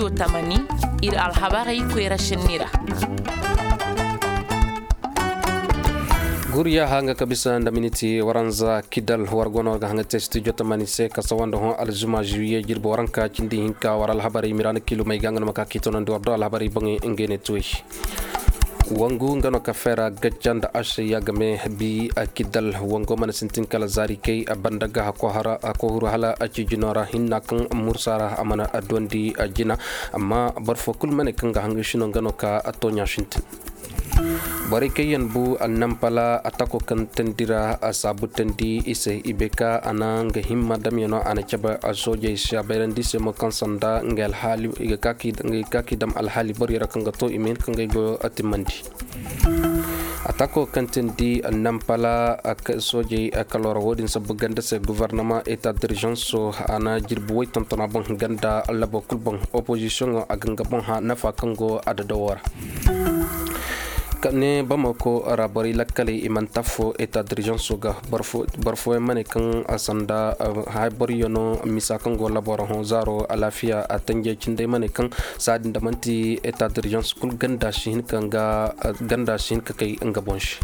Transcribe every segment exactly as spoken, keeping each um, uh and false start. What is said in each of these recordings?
Tamani, ir alhabarey koyra sinni ra. Guriya hanga ka bisa nda miniti waranza kidal war gono ga hanga te studio tamani se ka sawanda hõ alzuma juillet jirbi waranka cindi hinka war alhabarey mirana kilumey ga nga no ma ka kitonandi war do alhabarey baŋey ngey ne tuwey. Wangu nga no ka fera gacca nda asayya game bi a kidal wango mana sintin kala zaari kay a banda ga hako hara a kohuru hala a cijino ra hinna kaŋ mursa ra a mana a dondi a jina. Amma boro fo kulu mane kaŋ ga hanga shino nga no ka a tonya sintin. Borey kaŋ yaŋ bu a nampala a tako kaŋ tandi ra a saabu tandi i se i be ka a na nga himma damyano a na cabe a soojey se a bayrandi se mo kaŋ sanda nga alhaali i ga ka k'i dam alhaali borey ra kaŋ ga to i ma hin ka ngey goyo a timmandi. A tako kaŋ tindi nampala soojey kaloora wo-din sabbu ganda se gofornama eta d'urgence a na jirbi way tontona boŋ ganda labo kulu boŋ opozisiyoŋo a ga nga boŋ ha nafa kaŋ go a dadawo ra. Ka ne bamako ra borey lakkaley i mana tafo eta d'urgence ga boro fooyaŋ ma ne kaŋ a sanda hay boro yano misa kaŋ go laboro hõ zaaro alaafiya a tanjey cindey ma ne kaŋ saadi nda manti eta d'urgence kulu ganda si hin ka nga ganda si hin ka kay nga boŋ se.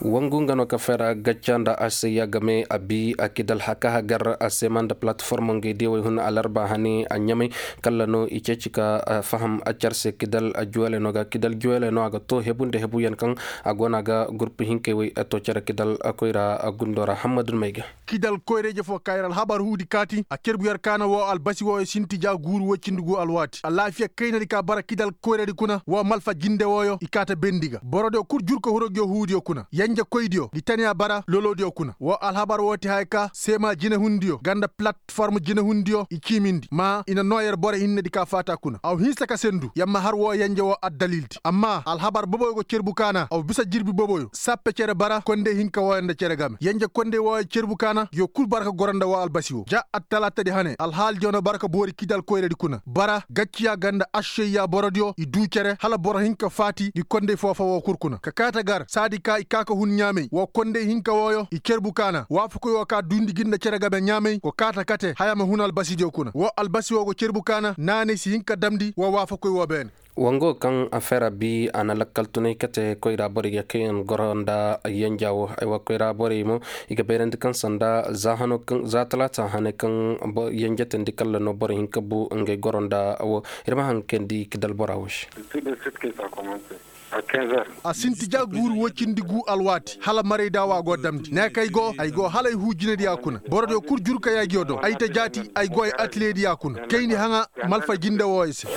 Wangu nga no ka fera gacca nda a se ya game a bi a kidal haka hagar a sema nda platform ngey diyawey hun alarba hane a ɲamay kalla no i ceeci ka faham a care se kidal a juwele no ga kidal juwele no a ga to hebu nda hebu yaŋ kaŋ a go no a ga gurpu hinkey wey a to care kidal koyra a gundo ra hammadun may ga. Kidal koyra-ije fo ka yer alhabar huudi kaati a cerbu yer kaana woo albasi wooyo sinti ja guuru woy cindi guu alwaati alaafiya kaynadi ka bara kidal koyradi kuna woo malfa jinde wooyo i kaata bendi ga borodiyo kul jurka hurogiyo huudiyo kuna yenjekoydiyo ngi taniya bara loloodiyo kuna woo alhabar woo ti haya ka seema jinehundiyo nga nda platform jinehundiyo i ciimindi maa i na noo yer boro hinnedi ka faata kuna aw hinsa ka sendu yer ma har woo yenje woo addalildi amma alhabar boboyo go cerbu kaana aw bisa jirbi boboyo sappe cere bara kondey hinka wooyo nda cere game yenje kondey wooyo cerbu kaana yo kul bara ka goro nda woo albasi woo ja attalaatadi hane alhaalidiyo na bara ka boori kidal koyradi kuna bara gacciya nga nda aššeyya borodiyo i duu cere hala boro hinka faati ngi kondey foo-foo woo kul kuna ka kaata gar saadi ka i kaa ka hun ɲaamey woo kondey hinka wooyo i cerbu kaana waafakoy woo ka duundi gi nda cere game ɲaamey go kaata kate haya ma hun albasidiyo kuna woo albasi woo go cerbu kaana naanay si hin ka damndi woo waafakoy woo beene. Wango kaŋ a fera bi a na lakkal tunay kate koyra borey ga kaŋ yaŋ goro nda yenja wo aywa koyra borey mo i ga bayrandi kaŋ sanda za hano kaŋ za talaata hane kaŋ yenjetandi kalla no boro hinka bu ngey goro nda wo ir ma haŋ kayndi ka dal bora wo se. A sinti ja guuru woy cindi gu alwaati hala marayda wo a go damndi ne kaŋ ay go ay go hala ay huu jinediya kuna borodiyo kul jurka yaajiyo do ay ta jaati ay go ay atilediya kuna kayndi haŋa malfa jinde wooyo se.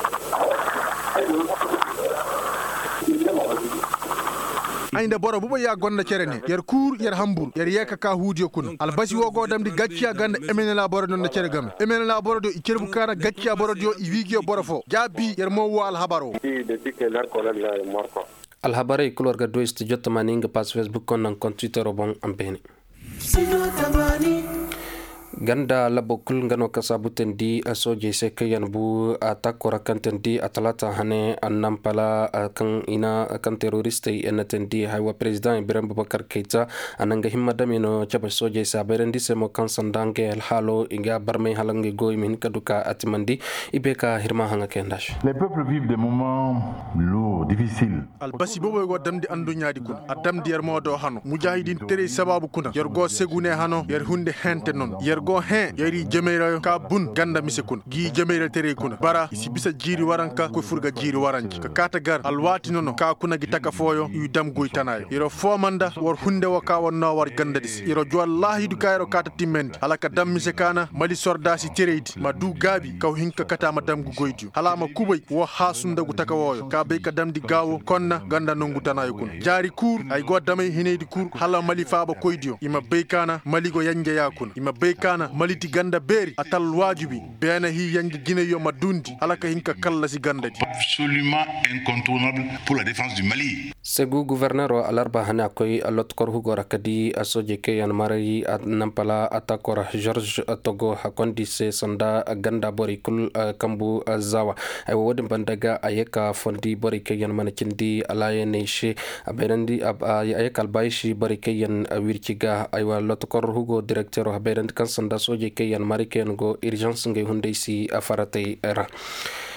Ay nda boro bubay ya gonda cere ne yer kuur yer hambur yer yee ka kaa huudiyo kuna albasi woo go damndi gacciya ganda emenela borodiyo nda cere game emenela borodiyo i cerbu kaana gacciya borodiyo i wiigiyo boro foo jaabi yer mo woo alhabar woo. Alhabarey kul war ga du studio tamaani nga pass facebook koŋ naŋ koŋ twittero boŋ a ma beene. Ganda labo kul nga no ka saabu teendi soojey se kaŋ yaŋ bu a taako ra kaŋ teendi a talaata hane a nampala kaŋ i na kaŋ teroristey yaŋ na teendi haywa perezidaŋ ibrahim bubakar kayta a na nga himma dame no cabe soojey se a bayrandi se mo kaŋ sanda ngey alhaalo i ga barmay hala ngey go i ma hin ka du ka a timandi. I bay ka hirma haŋa kayanda se. Albasi boboy go damndi adduɲɲaadi kuna a damndi yer mo do hano mujaahidiin teray sabaabu kuna yer go segu ne hano yer hunde hente nono yer go hẽ yer i jemey ra ka bun ganda mise kuna gi jemey ra teray kuna bara i si bisa jiiri waranka koy fur ga jiiri waranci ka kaata gar alwaati nono ka kuna gi taka fooyo i dam goy tanaayo yer foo ma nda war hunde wo ka war noo war gandadi se yer jwallaahidu ka yer kaata timmandi hala ka dam mise kaana mali sordaasi teraydi ma duu gaabi kaw hin ka kate a ma dam ngu goydiyo hala a ma kubay woo haasu nda ngu taka wooyo ka bay ka damndi gaawo konna nga nda nongu tanaayo kuna jaari kul ay go damay hinaydi kul hala mali faabakoydiyo i ma bay kaana mali go yenjeyaa kuna i ma bay kaana mali ti ganda beeri a ta alwaajibi beene hii yenje jinayyo ma duundi hala ka hin ka kallasi gandadi. Segu guforneeroo alarba hane a koy lotokor hugoo ra ka dii soojey kaŋ yaŋ maray nampala atakoo ra george togo a kondi se sanda ganda borey kul kambu zaawa. Ay wo wo-din banda ga a ye ka fondi borey kaŋ yaŋ mana cindi alaayaney se a ye ka albaayi si borey kaŋ yaŋ wirci ga ay wa lotokor hugoo direkteeroo a bayrandi kaŋ sanda Nda soojey kaŋ yaŋ maray kaŋ yaŋ go irzans ngey hunday si faratey ra.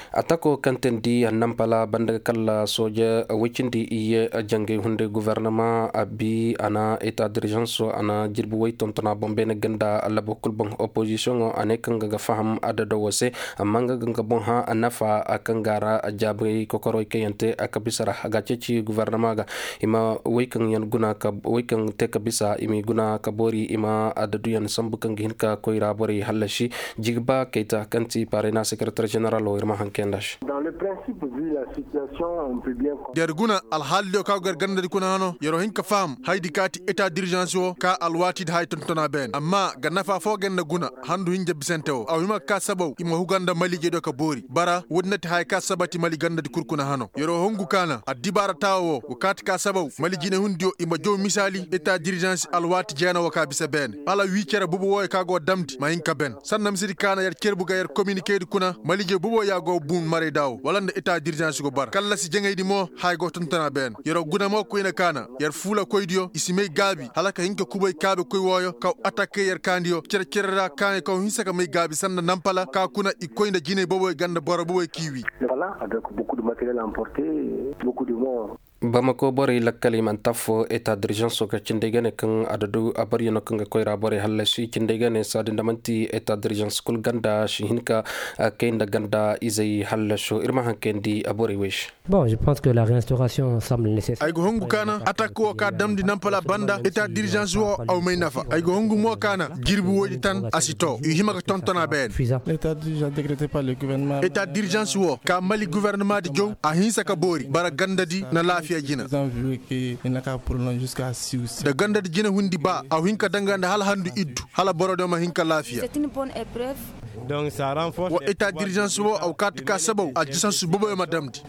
Atako kaŋ teendi nampala banda ga kalla sooja woy cindi iyye jangey hunday guvarnama a bi a na eta dirzanso a na jirbi woy tontona boŋ beene ganda labo kul boŋ opozisiyoŋo a ne kaŋ ga ga faham adado wo se. Amma nga ga nga boŋ hã nafa kaŋ ga a ra jaabay kokorowey kaŋ yaŋ te a kabisa ra a ga a ceeci guvarnama ga i ma woy kaŋ yaŋ guna ka woy kaŋ te kabisa i m'i guna ka boori i ma adadu yaŋ sambu kaŋ ga hin ka koyra borey hallasi. Jigba kayta kaŋ ti parena sekretar ženeral wo ir ma haŋ kayanda se. Yer guna alhaalidiyo kaŋ go yer gandadi kuna hano yer wo hin ka faham hayadi kaŋ a ti eta dirzans wo ka alwaatidi haya tontona beene amma ga nafa fo ga yer na guna handu hinja bisante wo a wo hima ga ka sabaw i ma huga nda maliijediyo ka boori bara woodi na ti haya kaŋ a sabati mali gandadi kul kuna hano yer wo hungu kaana addibaara taawo wo go kaati ka sabaw mali jinehundiyo i ma jaw misaali eta dirzans alwaati jeena wo ka bisa beene hala wii cere bobo wooyo kaŋ a go damndi ma hin ka ben sanda misedi kaana yer cerbu ga yer kominikedi kuna maliije bobo ya go bun maray da wo wala nda eta dirzans go bara kallasi jaŋaydi mo haya go tontona beene yer wo guna mo koyne kaana yer fuulakoydiyo i si may gaabi hala ka hin ka kubay kaabekoy wooyo kaŋ atakey yer kaandiyo cere-cere ra kaanay kaŋ hinsa ka may gaabi sanda nampala ka kuna i koy nda jinay boboy ganda boro boboy k'i wi. Bamako borey lakkaley mana taffo eta dirzanso ga cindey ga ne kaŋ adadu abaryanoo kaŋ ga koyra borey hallasi cindey ga ne saadi nda man'ti eta dirzans kul ganda si hin ka kay nda ganda izey hallaso ir ma haŋ kayandi aborey wey se. Bon je pense que la restauration semble nécessaire. Ay ga hungu kaana atak wo ka damndi nampala banda eta dirzans wo aw may nafa ay ga hungu mo kaana jirbi woydi tan a si to i hima ga tontona beene. Eta dirzans wo ka mali guvernemadi jaw a hinsa ka boori bara gandadi na laafiya jina. Da gandadi jina hundi ba a hin ka danga nda hala handu iddu hala borodiyo ma hin ka laafiya. Wa eta dirzans wo a wa kaati ka sabaw a jisansu boboyo ma damndi.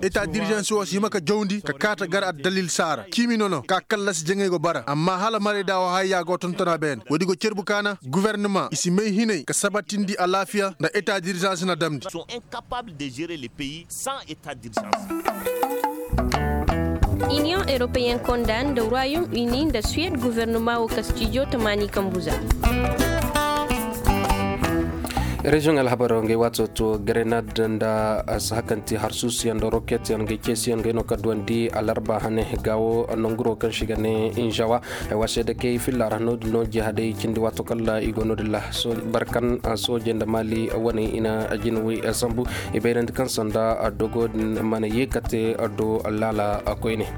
Eta dirzans wo si hima ka jawndi ka kaata gar addalil saara ciimi nono ka kallasi jaŋay go bara amma hala marayda wo hayya go tontona beene woodi go cerbu kaana guvernama i si may hinay ka sabatindi alaafiya nda eta dirzans na damndi. Union européen konda nda royaume uni nda suwed guvernama wo kastijo tamaani kambuza. Reziyoŋ alhabaro ngay waato to grenad nda sahakanti harsuusuyaŋ nda roketyaŋ ngay ceesiyaŋ ngay no ka duwandi alarba hane gaawo nanguro kaŋ si ga ne inzawa. Ay wase da kay filla ra no din no jihaday cindi waato kala i go no din la barkan soojey nda maali wane i na jinawey sambu i bayrandi kaŋ sanda dogo din mana ye ka te do laala koyne.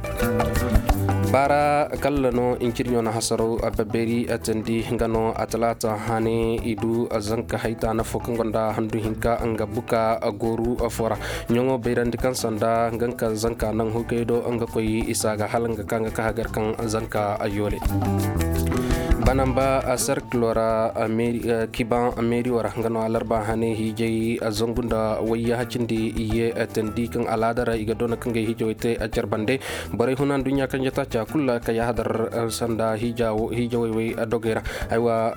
Baara kalla no incirɲo na hasaraw babbeeri tandi nga no a talaata hane i du zanka hayta na fo kaŋ gonda handu hinka nga buka gooru fo ra. Ɲoŋo bayrandi kaŋ sanda nga ka zanka naŋ hukay do nga koy isa ga hala nga ka nga ka hagar kaŋ zanka yoole. Banamba serkilo ra kiban meeriyo ra nga no alarba hane hiijay zangu nda wayya hacindi i ye tandi kaŋ alaada ra i ga doona kaŋ ga hiijawey te a care bande. Borey huna nduɲɲa kaŋ jata ca kulu ra ka yahadar sanda hiijawey wey dogey ra. Aywa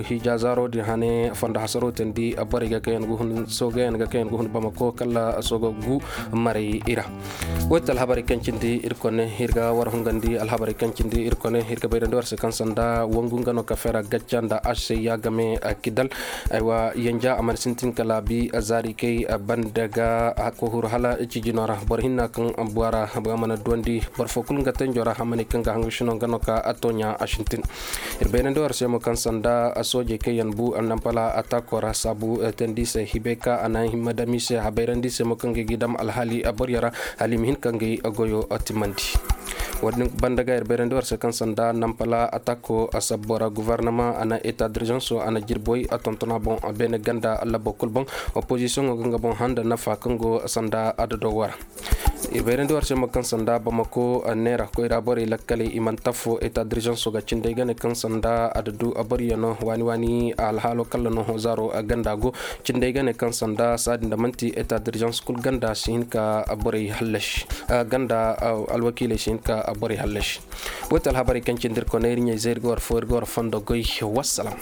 hiija zaaro din hane fondo hasaro tandi borey ga kaŋ yaŋ ga hun soogey yaŋ ga kaŋ yaŋ ga hun bamako kala sooga gu maray i ra. Woy ti alhabarey kaŋ cindi ir kone ir ga war hungandi alhabarey kaŋ cindi ir kone ir ga bayrandi war se kaŋ sanda wangu nga no ka fera gacca nda asey ya game kidal. Aywa yanja a mana sintin kala bi zaari kay banda ga a kohuru hala cijino ra boro hinna kaŋ bora ba mana duwandi boro fo kulu nga tenjo ra hamani kaŋ ga hangu sino nga no ka a tooɲa a sintin. Ir bayrandi war se mo kaŋ sanda soojey kaŋ yaŋ bu annampala atako ra saabu teendi se hibey ka a na himma dam i se a bayrandi se mo kaŋ ga gi dam alhaali a boryo ra hala i ma hin ka ngey goyo timmandi. Wo-din banda ga ir bayrandi war se kaŋ sanda nampala atako a sabbo ra guvarnama a na eta dirzanso a na jirboy a tontona boŋ beene ganda labo kul boŋ. Opozisiyoŋo ga nga boŋ handa nafa kaŋ go sanda adado wara. Ir bayrandi war se mo kaŋ sanda bamako neera koyra borey lakkaley i mana taffo eta dirzanso ga cindey ga ne kaŋ sanda adadu a boryo no waani waani alhaalo kalla no hozaro ganda go. Cindey ga ne kaŋ sanda saadi nda manti eta dirzans kul ganda si hin ka borey hallasi ganda alwakiiley si hin ka borey hallasi. Woy ti alhabarey kaŋ cindi ir kone ir ɲey zay ir ga war fo ir ga war fondo goy. Wassalam.